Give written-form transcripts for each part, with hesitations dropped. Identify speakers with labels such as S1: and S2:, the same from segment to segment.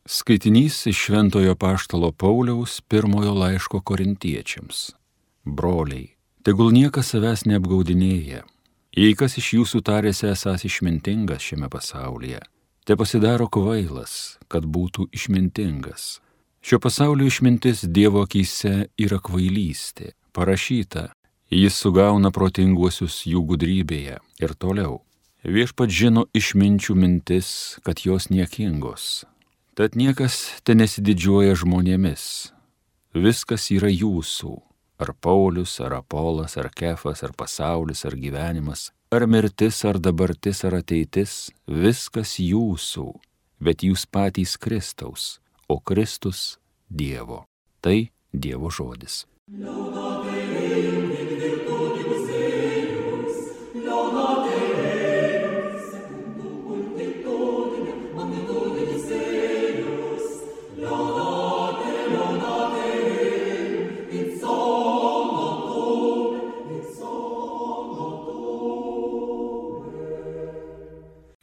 S1: Skaitinys iš Šventojo Apaštalo Pauliaus pirmojo laiško Korintiečiams. Broliai, tegul niekas savęs neapgaudinėja. Jei kas iš jūsų tarėsi esąs išmintingas šiame pasaulyje, te pasidaro kvailas, kad būtų išmintingas. Šio pasaulio išmintis Dievo akyse yra kvailystė. Parašyta, jis sugauna protinguosius jų gudrybėje. Ir toliau. Viešpats žino išminčių mintis, kad jos niekingos. Tad niekas te nesididžiuoja žmonėmis. Viskas yra jūsų. Ar Paulius, ar Apolas, ar Kefas, ar pasaulis, ar gyvenimas, ar mirtis, ar dabartis, ar ateitis. Viskas jūsų. Bet jūs patys Kristaus, o Kristus Dievo. Tai Dievo žodis.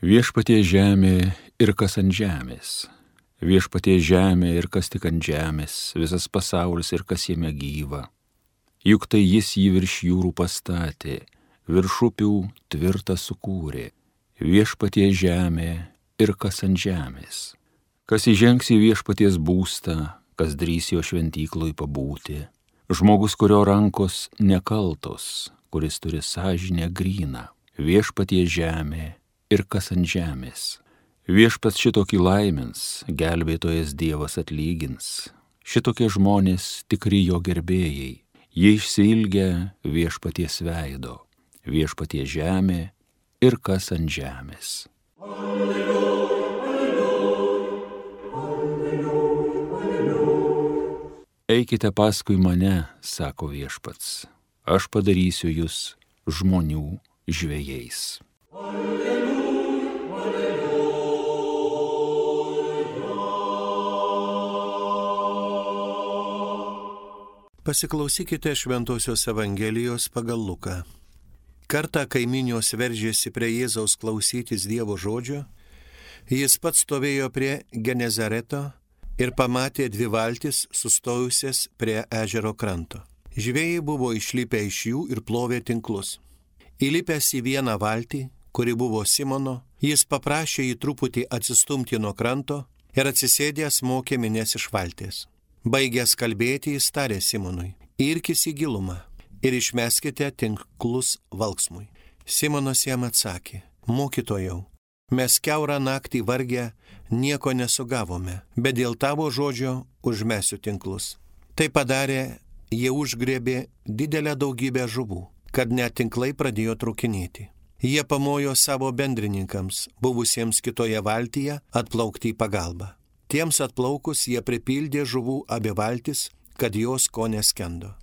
S1: Viešpatie žemė ir kas ant žemės. Viešpatie žemė ir kas tik ant žemės, visas pasaulis ir kas jame gyva. Juk tai jis jį virš jūrų pastatė, virš upių tvirtą sukūrė. Viešpatie žemė ir kas ant žemės. Kas įžengs į viešpaties būstą, kas drįs jo šventykloj pabūti. Žmogus, kurio rankos nekaltos, kuris turi sąžinę gryną. Viešpatie žemė ir kas ant žemės. Viešpats šitokį laimins, gelbėtojas Dievas atlygins. Šitokie žmonės tikri jo gerbėjai. Jie išsiilgia viešpaties veido. Viešpatie žemė ir kas ant žemės. Alleluja, alleluja, alleluja. Eikite paskui mane, sako viešpats. Aš padarysiu jūs žmonių žvejais.
S2: Pasiklausykite Šventosios Evangelijos pagal Luką. Kartą kaiminios veržėsi prie Jėzaus klausytis Dievo žodžio, jis pats stovėjo prie Genezareto ir pamatė dvi valtis sustojusias prie ežero kranto. Žvejai buvo išlipę iš jų ir plovė tinklus. Įlipęs į vieną valtį, kuri buvo Simono, jis paprašė jį truputį atsistumti nuo kranto ir atsisėdęs mokė minias iš valties. Baigęs kalbėti, jis tarė Simonui: irkis į gilumą ir išmeskite tinklus valksmui. Simonas jam atsakė: mokytojau, mes kiaurą naktį vargę nieko nesugavome, bet dėl tavo žodžio užmesiu tinklus. Tai padarė, jie užgriebė didelę daugybę žuvų, kad net tinklai pradėjo trūkinėti. Jie pamojo savo bendrininkams, buvusiems kitoje valtyje, atplaukti į pagalbą. Tiems atplaukus jie pripildė žuvų abi valtis, kad jos ko neskendo.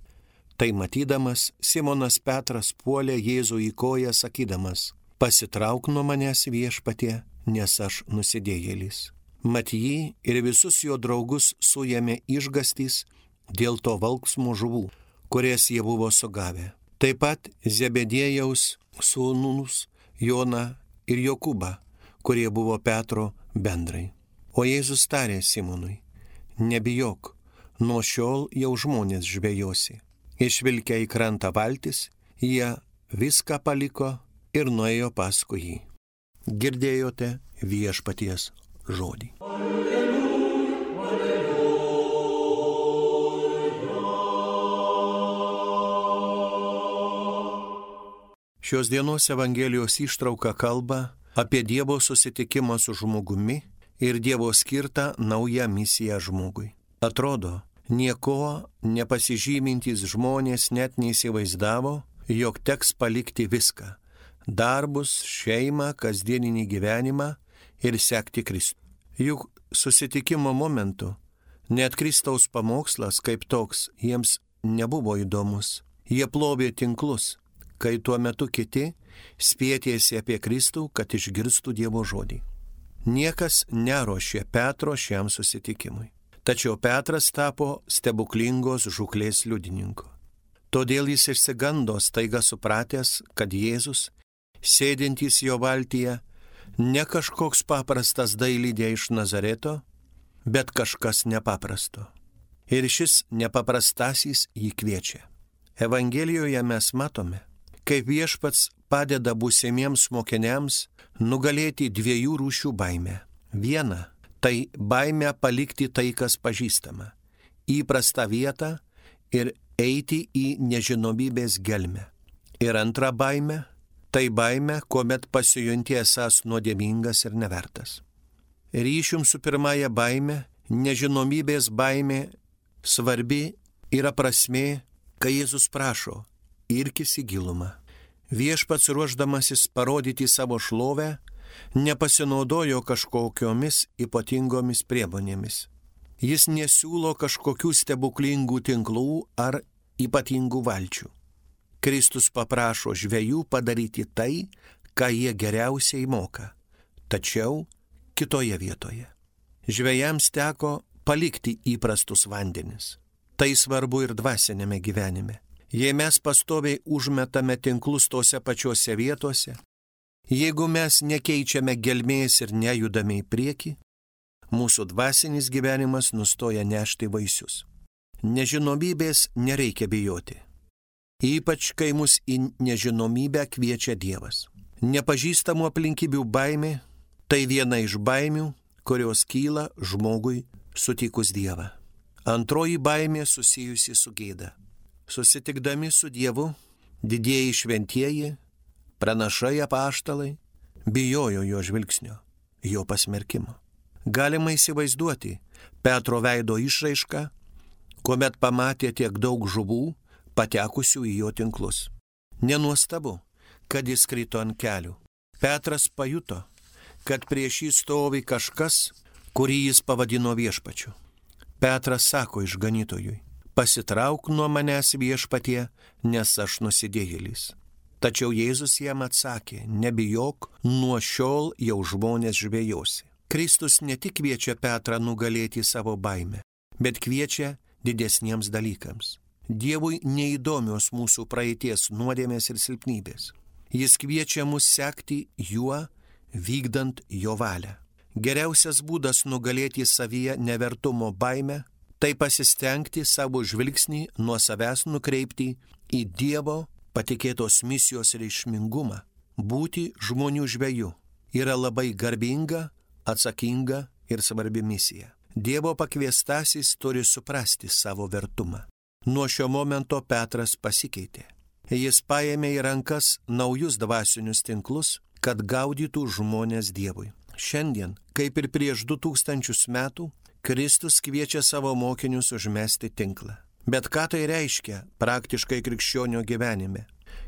S2: Tai matydamas, Simonas Petras puolė Jėzų į koją, sakydamas: pasitrauk nuo manęs, viešpatie, nes aš nusidėjėlis. Mat jį ir visus jo draugus suėmė išgąstys dėl to valksmų žuvų, kurias jie buvo sugavę. Taip pat Zebediejaus sūnūs Joną ir Jokūbą, kurie buvo Petro bendrai. O Jėzus tarė Simonui: nebijok, nuo šiol jau žmonės žvejosi. Išvilkę į krantą valtis, jie viską paliko ir nuėjo paskui jį. Girdėjote viešpaties žodį. Alleluja, alleluja. Šios dienos Evangelijos ištrauka kalba apie Dievo susitikimą su žmogumi ir Dievo skirtą naują misiją žmogui. Atrodo, nieko nepasižymintys žmonės net neįsivaizdavo, jog teks palikti viską – darbus, šeimą, kasdieninį gyvenimą ir sekti Kristų. Juk susitikimo momentu net Kristaus pamokslas kaip toks jiems nebuvo įdomus. Jie plovė tinklus, kai tuo metu kiti spėtėsi apie Kristų, kad išgirstų Dievo žodį. Niekas neruošė Petro šiam susitikimui. Tačiau Petras tapo stebuklingos žūklės liudininku. Todėl jis išsigando staiga supratęs, kad Jėzus, sėdintys jo valtyje, ne kažkoks paprastas dailydė iš Nazareto, bet kažkas nepaprasto. Ir šis nepaprastasis jį kviečia. Evangelijoje mes matome, kaip Viešpats padeda būsimiems mokiniams nugalėti dviejų rūšių baimę. Viena – tai baimė palikti tai, kas pažįstama, įprastą vietą ir eiti į nežinomybės gelmę. Ir antra baimė – tai baimė, kuomet pasijunti esąs nuodėmingas ir nevertas. Ryšium su pirmąja baimė, nežinomybės baimė, svarbi yra prasmė, kai Jėzus prašo, irkis į gilumą. Viešpats ruošdamasis parodyti savo šlovę, nepasinaudojo kažkokiomis ypatingomis priemonėmis. Jis nesiūlo kažkokių stebuklingų tinklų ar ypatingų valčių. Kristus paprašo žvejų padaryti tai, ką jie geriausiai moka, tačiau kitoje vietoje. Žvejams teko palikti įprastus vandenis. Tai svarbu ir dvasinėme gyvenime. Jei mes pastoviai užmetame tinklus tose pačiose vietose, jeigu mes nekeičiame gelmės ir nejudame į priekį, mūsų dvasinis gyvenimas nustoja nešti vaisius. Nežinomybės nereikia bijoti. Ypač, kai mus į nežinomybę kviečia Dievas. Nepažįstamų aplinkybių baimė – tai viena iš baimių, kurios kyla žmogui sutikus Dievą. Antroji baimė susijusi su gėda. Susitikdami su Dievu, didieji šventieji, pranašai apaštalai, bijojo jo žvilgsnio, jo pasmerkimo. Galima įsivaizduoti Petro veido išraišką, kuomet pamatė tiek daug žuvų, patekusių į jo tinklus. Nenuostabu, kad jis krito ant kelių. Petras pajuto, kad prieš jį stovi kažkas, kurį jis pavadino viešpačiu. Petras sako išganytojui, pasitrauk nuo manęs viešpatie, nes aš nusidėjėlis. Tačiau Jėzus jam atsakė, nebijok, nuo šiol jau žmonės žvejosi. Kristus ne tik kviečia Petrą nugalėti savo baimę, bet kviečia didesniems dalykams. Dievui neįdomios mūsų praeities nuodėmės ir silpnybės. Jis kviečia mus sekti juo, vykdant jo valią. Geriausias būdas nugalėti savyje nevertumo baimę – tai pasistengti savo žvilgsnį nuo savęs nukreipti į Dievo patikėtos misijos reikšmingumą. Būti žmonių žveju yra labai garbinga, atsakinga ir svarbi misija. Dievo pakviestasis turi suprasti savo vertumą. Nuo šio momento Petras pasikeitė. Jis paėmė į rankas naujus dvasinius tinklus, kad gaudytų žmonės Dievui. Šiandien, kaip ir prieš 2000 metų, Kristus kviečia savo mokinius užmesti tinklą. Bet ką tai reiškia praktiškai krikščionio gyvenime?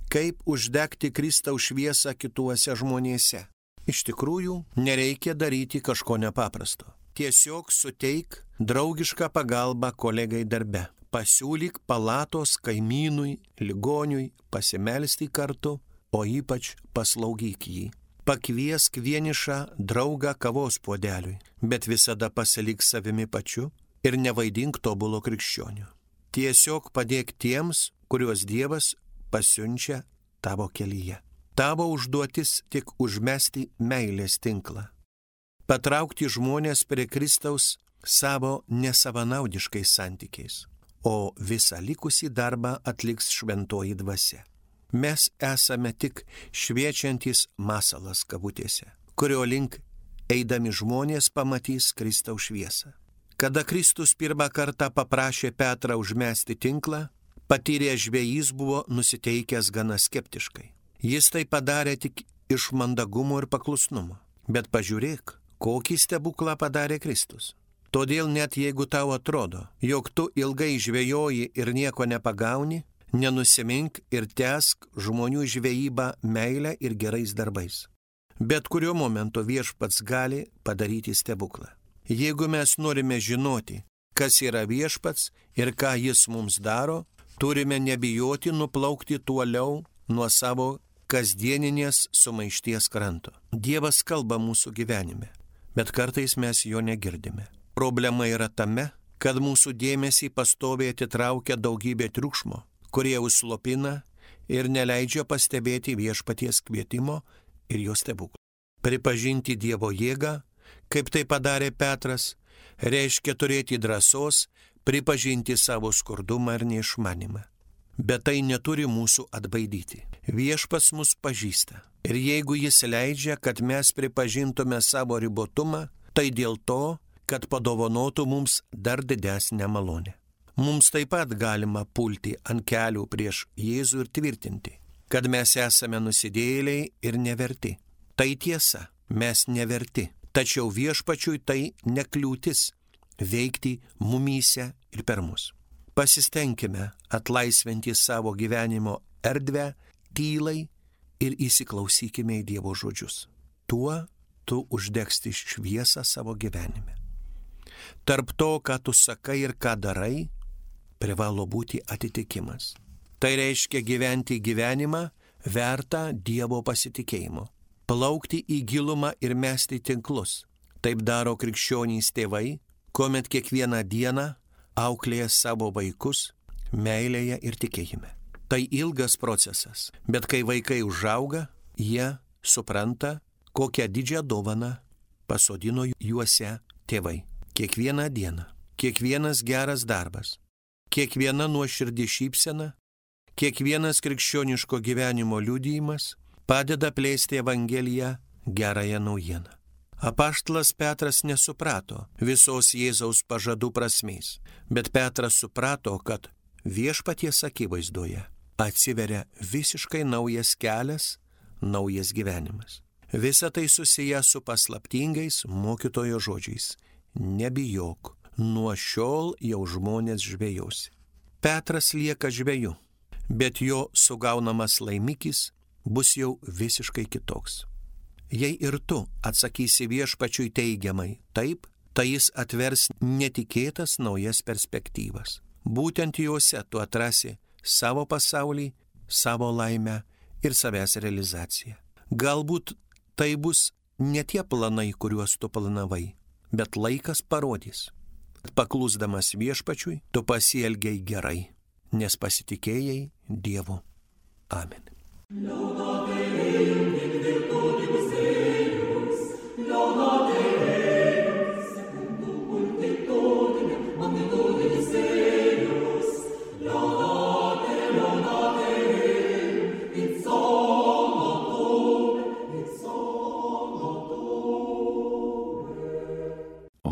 S2: Kaip uždegti Kristaus šviesą kituose žmonėse? Iš tikrųjų, nereikia daryti kažko nepaprasto. Tiesiog suteik draugišką pagalbą kolegai darbe. Pasiūlyk palatos kaimynui, ligoniui, pasimelsti kartu, o ypač paslaugyk jį. Pakviesk vienišą draugą kavos puodeliui, bet visada pasilik savimi pačiu ir nevaidink tobulo krikščionių. Tiesiog padėk tiems, kuriuos Dievas pasiunčia tavo kelyje. Tavo užduotis tik užmesti meilės tinklą. Patraukti žmonės prie Kristaus savo nesavanaudiškais santykiais, o visą likusį darbą atliks šventoji dvasia. Mes esame tik šviečiantis masalas kabutėse, kurio link eidami žmonės pamatys Kristaus šviesą. Kada Kristus pirmą kartą paprašė Petrą užmesti tinklą, patyręs žvejys buvo nusiteikęs gana skeptiškai. Jis tai padarė tik iš mandagumo ir paklusnumo. Bet pažiūrėk, kokį stebuklą padarė Kristus. Todėl net jeigu tau atrodo, jog tu ilgai žvejoji ir nieko nepagauni, nenusimink ir tęsk žmonių žvejybą meilę ir gerais darbais. Bet kuriuo momentu Viešpats gali padaryti stebuklą. Jeigu mes norime žinoti, kas yra Viešpats ir ką jis mums daro, turime nebijoti nuplaukti toliau nuo savo kasdieninės sumaišties kranto. Dievas kalba mūsų gyvenime, bet kartais mes jo negirdime. Problema yra tame, kad mūsų dėmesį pastoviai atitraukia daugybė triukšmo, kurie užslopina ir neleidžia pastebėti Viešpaties kvietimo ir jo stebuklų. Pripažinti Dievo jėgą, kaip tai padarė Petras, reiškia turėti drąsos pripažinti savo skurdumą ir neišmanimą. Bet tai neturi mūsų atbaidyti. Viešpats mus pažįsta. Ir jeigu jis leidžia, kad mes pripažintume savo ribotumą, tai dėl to, kad padovanotų mums dar didesnę malonę. Mums taip pat galima pulti ant kelių prieš Jėzų ir tvirtinti, kad mes esame nusidėjėliai ir neverti. Tai tiesa, mes neverti. Tačiau viešpačiui tai nekliūtis veikti mumyse ir per mus. Pasistengime atlaisvinti savo gyvenimo erdvę tylai ir įsiklausykime į Dievo žodžius. Tuo tu uždegsti šviesą savo gyvenime. Tarp to, ką tu sakai ir ką darai, privalo būti atitikimas. Tai reiškia gyventi gyvenimą vertą Dievo pasitikėjimo. Plaukti į gilumą ir mesti tinklus. Taip daro krikščionys tėvai, kuomet kiekvieną dieną auklėja savo vaikus meilėje ir tikėjime. Tai ilgas procesas, bet kai vaikai užauga, jie supranta, kokią didžią dovaną pasodino juose tėvai. Kiekvieną dieną, kiekvienas geras darbas, kiekviena nuoširdi šypsena, kiekvienas krikščioniško gyvenimo liudijimas padeda plėsti Evangeliją, gerąją naujieną. Apaštalas Petras nesuprato visos Jėzaus pažadų prasmės, bet Petras suprato, kad viešpaties akivaizdoje atsiveria visiškai naujas kelias, naujas gyvenimas. Visa tai susiję su paslaptingais mokytojo žodžiais. Nebijok, nuo šiol jau žmonės žvejosi. Petras lieka žveju, bet jo sugaunamas laimikis bus jau visiškai kitoks. Jei ir tu atsakysi viešpačiui teigiamai taip, tai jis atvers netikėtas naujas perspektyvas. Būtent juose tu atrasi savo pasaulį, savo laimę ir savęs realizaciją. Galbūt tai bus ne tie planai, kuriuos tu planavai, bet laikas parodys. Paklusdamas viešpačiui, tu pasielgiai gerai, nes pasitikėjai Dievu. Amen.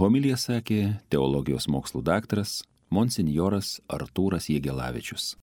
S1: Homiliją sakė teologijos mokslų daktaras monsinjoras Artūras Jegelavičius.